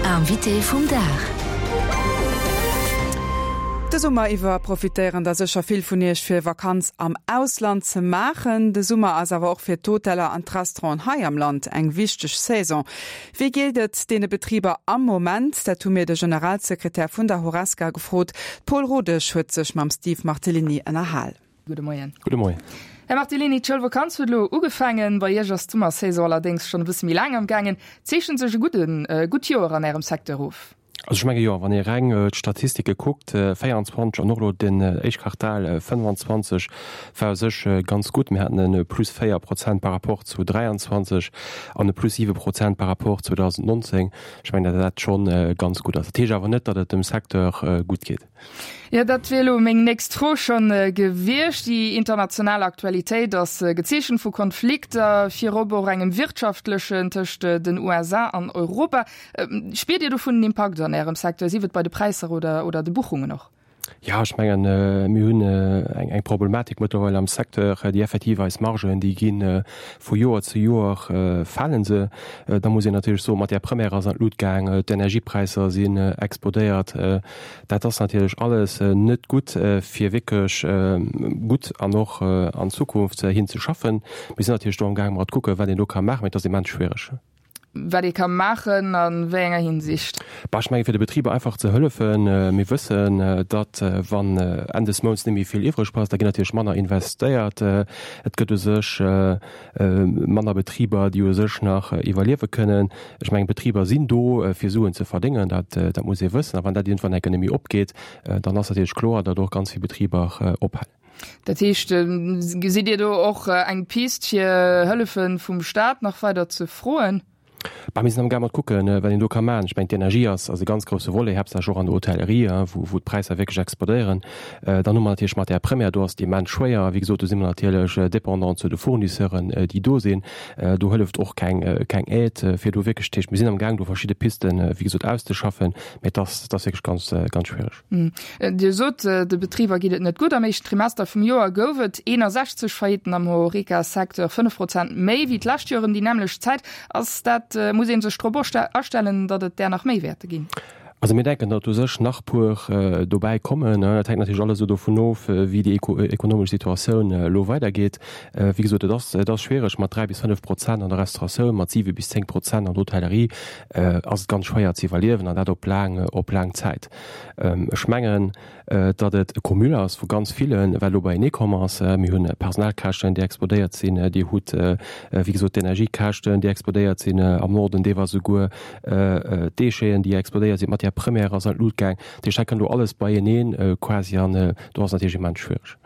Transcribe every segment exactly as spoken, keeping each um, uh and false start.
Invité vum Dag. De Summer iwwer profitéieren der sécher vill vun iech fir Vakanz am Ausland ze maachen. De Summer ass awer och fir d'Hoteller an d'Restauranten hei am Land eng wichteg Saison. Wéi geet et deene Betriber am Moment? Dat hu mir de Generalsekretär vun der Horesca gefrot. Paul Rodesch huet sech mam Steve Martellini ënnerhal. Gudde Moien. Gudde Moien. Här Martellini, d'Schoulvakanz huet elo ugefaangen. Bei Iech ass d'Summersaison allerdéngs schonn e bësse méi laang am gaangen. Zeechent sech e gudden, gutt Joer an Ärem Secteur of? Also ech menge jo, wann ee reng d'Statistike kuckt, véierundzwanzeg an och elo den éischt Quartal fënnefanzwanzeg war u sech ganz gutt. Mir haten e Plus véier Prozent par rapport zu dräianzwanzeg an e Plus siwe Prozent par rapport zweedausendnonzéng. Ech mengen, datt dat scho ganz gutt ass. Dat heescht awer net, datt et dem Secteur gutt geet. Jo, dat wier elo meng nächst Fro schonn gewiescht. Déi international Aktualitéit ass gezeechent vu Konflikter, virop och engem wirtschaftlechen tëscht den U S A an Europa. Spiert Dir dovun en Impakt an Ärem Secteur, sief et bei de Präisser oder oder de Buchungen och? Jo, ech mengen, mir hunn eng eng Problematik mëttlerweil am Secteur, déi effektiv eis Margen, déi gi vu Joer zu Joer fale se. Da muss een natierlech soen, d'Matière première ass an d'Lut gaang, d'Energiepräisser sinn explodéiert. Dat ass natierlech alles net gutt, fir wierklech gutt an och an Zukunft hin ze schaffen. Mir sinn natierlech do amgaang mat kucken, wat een do ka maachen, mee et ass immens schwiereg. Wat ee ka maachen, a wéi enger Hinsicht? Bah, ech menge fir de Betriber einfach ze hëllefen. Mir wëssen, datt wann Enn des Mounts net méi vill iwwreg ass, da ginn natierlech manner investéiert. Et gëtt u sech manner Betriber, déi u sech nach iwwerliewe kënnen. Ech mengen, d'Betriber sinn do, fir Suen ze verdéngen, dat dat muss ee wëssen. A wann dat iergendwann enke net méi opgeet, dann ass natierlech kloer, datt och ganz vill Betriber ophalen. Dat heescht, gesitt Dir do och eng Pist, fir Hëllefe vum Staat nach weider ze froen? Bah, mir sinn amgaang mat kucken, wat een do ka maachen. Ech mengen, d'Energie ass ass e ganz grousse Volet, haaptsächlech och an der Hotellerie, wou wou d'Präisser wierklech explodéieren. Dann hu mer natierlech d'Matière première, do ass et immens schwéier. Wéi gesot, do si mer natierlech dépendant zu de Fournisseuren, déi do sinn. Do hëlleft och keng keng Aide, fir do wierklech, dat heescht, mir sinn amgaang, do verschidde Pisten, wéi gesot, auszeschaffen, mä et ass et ass wierklech ganz ganz schwiereg. Dir sot, de Betriber geet et net gutt. Am éischten Trimester vum Joer gouf et eenasechzeg Faillitten am Horeca-Secteur, fënnef Prozent méi wéi d'lescht Joer ëm déi nämmlecht Zäit. Ass dat, muss ee sech drop astellen, datt et där nach méi wäerte ginn? Also mir denken, datt u sech nach puer dobäi kommen. Dat hänkt natierlech alles esou dovun of, wéi déi ekonomesch Situatioun elo weidergeet. Wéi gesot, et ass, et ass schwiereg mat dräi bis fënnef Prozent an der Restauratioun, mat siwe bis zéng Prozent an der Hotellerie ass et ganz schwéier ze iwwerliewen an dat op laang, op laang Zäit. Ech mengen, datt et e Cumul ass vu ganz villen, wat elo beienee komm ass. Mir hunn Personalkäschten, déi explodéiert sinn. Dir hutt, wéi gesot, d'Energiekäschten, déi explodéiert sinn am Norden, deelweis esouguer d'Décheten, déi explodéiert sinn. D'Matière première ass an d'Lut gaang. Dat heescht, hei kënnt elo alles beieneen quasi an do ass et natierlech immens schwiereg.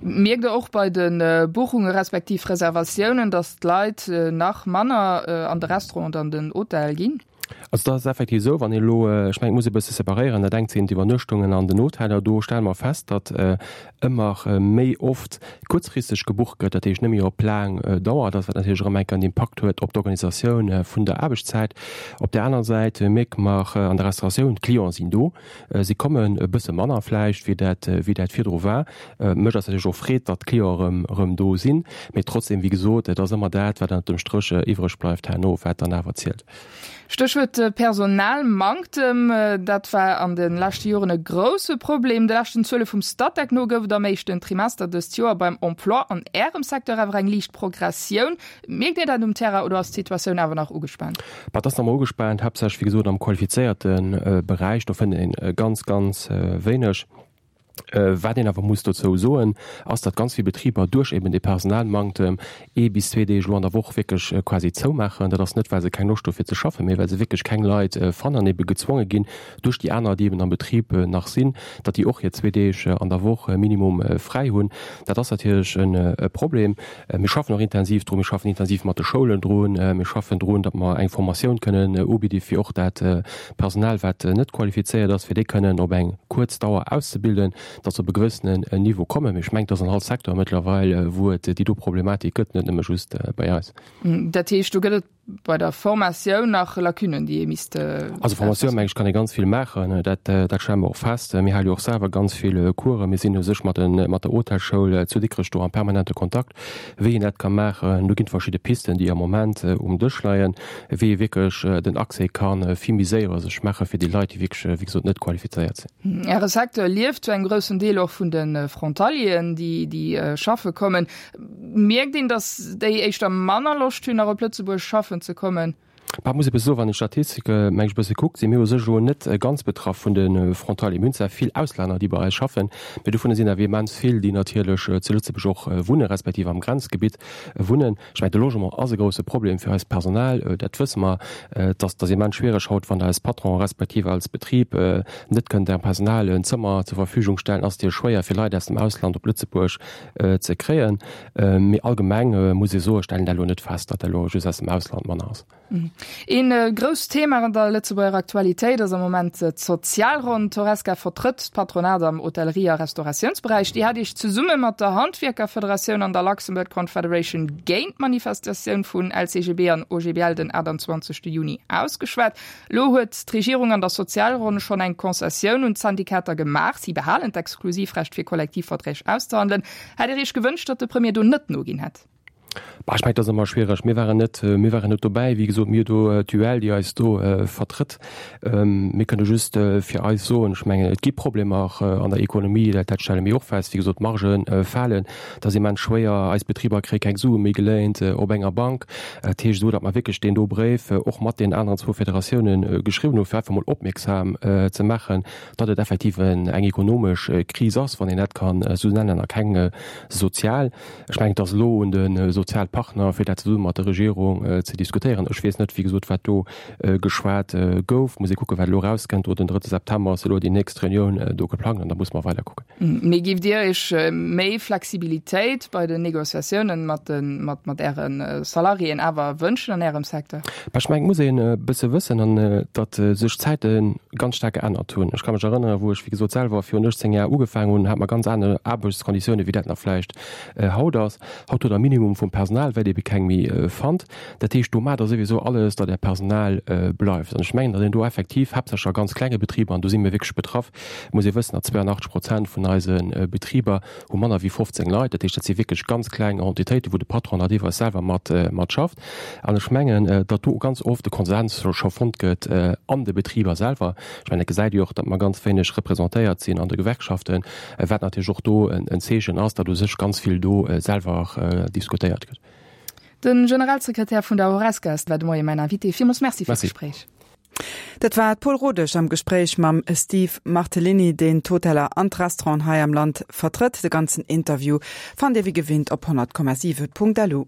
Mierkt Der och bei de Buchunge respektiv Reservatiounen, datt d'Leit nach manner an de Restaurant an den Hotel ginn? Also dat ass effektiv esou, wann ee elo, ech mengen, et muss ee bësse separéieren, dat engt sinn d'Iwwernuechtungen an den Hoteller, do stelle mer fest, datt ëmmer méi oft kuerzfristeg gebucht gëtt, dat heescht net méi op laang Dauer, dat wat natierlech erëm enk en Impakt huet op d'Organisatioun vun der Aarbechtszäit. Op där aner Säit mierke mer an der Restauratioun, d'Clienten sinn do, si kommen e bësse manner vläicht, wéi dat wéi dat virdru war. Mécht eis natierlech och Freed, datt d'Clienten erëm erëm do sinn, mee trotzdem, wéi gesot, et ass ëmmer dat, wat ënnert dem Stréch iwwreg bleift herno, wat dann awer zielt. Stéchwuert Personalmanktem, dat war an de leschte Joren e grousse Problem. De leschten Zuele vum Statec no gouf et am éischten Trimester dëst Joer beim Emploi an Ärem Secteur awer eng liicht Progressioun. Mierkt Dir dat um Terrain oder ass d'Situatioun awer nach ugespaant? Bah, et ass nach ëmmer ugespaant, haaptsächlech wéi gesot am qualifizéierte Beräich. Do fënnt een ganz, ganz wéineg. Wat een awer muss dozou soen, ass, datt ganz vill Betriber duerch eben dee Personalmanktem ee bis zwee Deeg elo an der Woch wierklech quasi zoumaachen. Dat ass net, well se keng Loscht hu fir ze schaffen, mee well se wierklech keng Leit fannen an ebe gezwonge ginn duerch déi aner, déi eben am Betrib nach sinn, datt déi och hir zwee Deeg an der Woch minimum fräi hunn. Dat ass natierlech e Problem. Mir schaffen och intensiv drun. Mir schaffen intensiv mat de Schoulen drun. Mir schaffen drun, datt mer eng Formatioun kënnen ubidde fir och dat Personal, wat net qualifizéiert ass, fir déi kënnen op eng kuerz Dauer auszebilden, datt se op e gewëssenen Niveau kommen. Mee ech mengen, et ass an all Secteur mëttlerweil, wou et déi do Problematik gëtt, net nëmme just bei eis. Dat heescht, do gëtt et bei der Formatioun nach Lacunen, déi ee misst. Also Formatioun, meng ech, kann ee ganz vill maachen, dat dat stelle mer och fest. Mir hale jo och selwer ganz vill Coursen. Mir sinn u sech mat de mat der Hotelschoul zu Dikrech do am permanente Kontakt, wéi een dat ka maachen. Do ginn et verschidde Pisten, déi am Moment um Dësch leien, wéi ee wierklech den Accès ka vill méi séier sech maache fir déi Leit, déi wierklech, wéi gesot, net qualifizéiert sinn. Äre Secteur lieft zu engem groussen Deel och vun de Frontalieren, déi déi schaffe kommen. Mierkt een, datt déi éischter manner Loscht hunn, nach op Lëtzebuerg schaffen ze kommen? Bah, muss ebe soen, wann een d'Statistike, meng ech, e bësse kuckt, si mir u sech elo net ganz betraff vun de Frontalieren. Mir hunn zwar vill Auslänner, déi bei eis schaffen, mä dovunner sinn awer immens vill, déi natierlech zu Lëtzebuerg och wunnen, respektiv am Grenzgebitt wunnen. Ech mengen, de Logement ass e grouse Problem fir eist Personal, dat wësse mer. Et ass, et ass immens schwiereg haut, wann Der als Patron respektiv als Betrib net kënnt Ärem Personal en Zëmmer zur Verfügung stellen, ass et jo schwéier fir Leit aus dem Ausland op Lëtzebuerg ze kréien. Mee allgemeng muss ee soen, ech stellen dat elo net fest, datt dat elo just aus dem Ausland manner ass. Een grousst Thema an der Lëtzebuerger Aktualitéit ass am Moment d'Sozialronn. D'Horesca vertrëtt d'Patronat am Hotellerie a Restauratiounsberäich. Dir hat Iech zesumme mat der Handwierkerfederatioun an der Luxembourg Confederation géint d'Manifestatioun vun L C G B an O G B L den achtundzwanzegste Juni ausgeschwat. Lo huet d'Regierung an der Sozialronn schonn eng Concessioun un d'Syndikater gemaach, Si behalen d'Exklusivrecht fir Kollektivverträg auszehandelen. Hätt Dir Iech gewënscht, datt de Premier do net noginn hätt? Bah, ech mengen, dat ass ëmmer schwiereg. Mir waren net, mir waren net dobäi. Wéi gesot, mir hu do d'U L, déi eis do vertrëtt. Mir kënne just fir eis soen, ech mengen, et gi Problemer an der Ekonomie, dat, dat stelle mir och fest. Wéi gesot, d'Margë falen, et ass immens schwéier, eis Betriber kréie keng Sue méi geléint op enger Bank. Dat heescht esou, datt mer wierklech deen do Bréif och mat deenen aneren zwou Federatiounen geschriwwen hu fir einfach mol opmierksam ze maachen, datt et effektiv eng ekonomesch Kris ass, wann een dat kann esou nennen, a keng sozial. Ech mengen, et ass elo un de Sozialpartner, fir dat zesumme mat der Regierung ze diskutéieren. Ech weess net, wéi gesot, wat do geschwat gouf. Muss ee kucken, wat elo erauskënnt. Do den drëtte September ass elo déi nächst Reunioun do geplangt an da muss mer weider kucken. Mee giff Dir Iech méi Flexibilitéit bei den Negociatiounen mat de mat mat Äre Salariéen awer wënschen an Ärem Secteur? Bah, ech mengen, et muss een e bësse wëssen, an datt sech d'Zäite ganz staark geännert hunn. Ech ka mech erënneren, wou ech, wéi gesot, selwer virun uechtzéng Jar ugefaangen hunn, hate mer ganz aner Aarbechtskonditiounen, wéi dat nach vläicht haut ass. Haut hutt Der Minimum vum Personal, well Dir ebe keng méi fannt. Dat heescht, do maacht Der souwisou alles, datt Äert Personal bleift. An ech mengen, datt een do effektiv, haaptsächlech a ganz klenge Betriber, an do si mir wierklech betraff, muss ee wëssen, datt zweeanachtzeg Prozent vun eise Betriber hu manner wéi fofzéng Leit. Dat heescht, dat si wierklech ganz kleng Entitéiten, wou de Patron da deelweis selwer mat mat schafft. An ech mengen, datt do ganz oft de Konsens scho fonnt gëtt an de Betriber selwer. Ech mengen, dat gesäit Dir och, datt mer ganz wéineg representéiert sinn an de Gewerkschaften, wat natierlech och do en Zeechen ass, datt u sech ganz vill do selwer diskutéiert gëtt. De Generalsekretär vun der Horesca war de Moie mäin Invité. Villmools Merci fir d'Gespréich. Dat war d'Paule Rodesch am Gespréich mam Steve Martellini, deen d'Hoteller an d'Restauranten hei am Land vertrëtt. De ganzen Interview fannt Dir wéi gewinnt op honnert Komma siwe Punkt lu.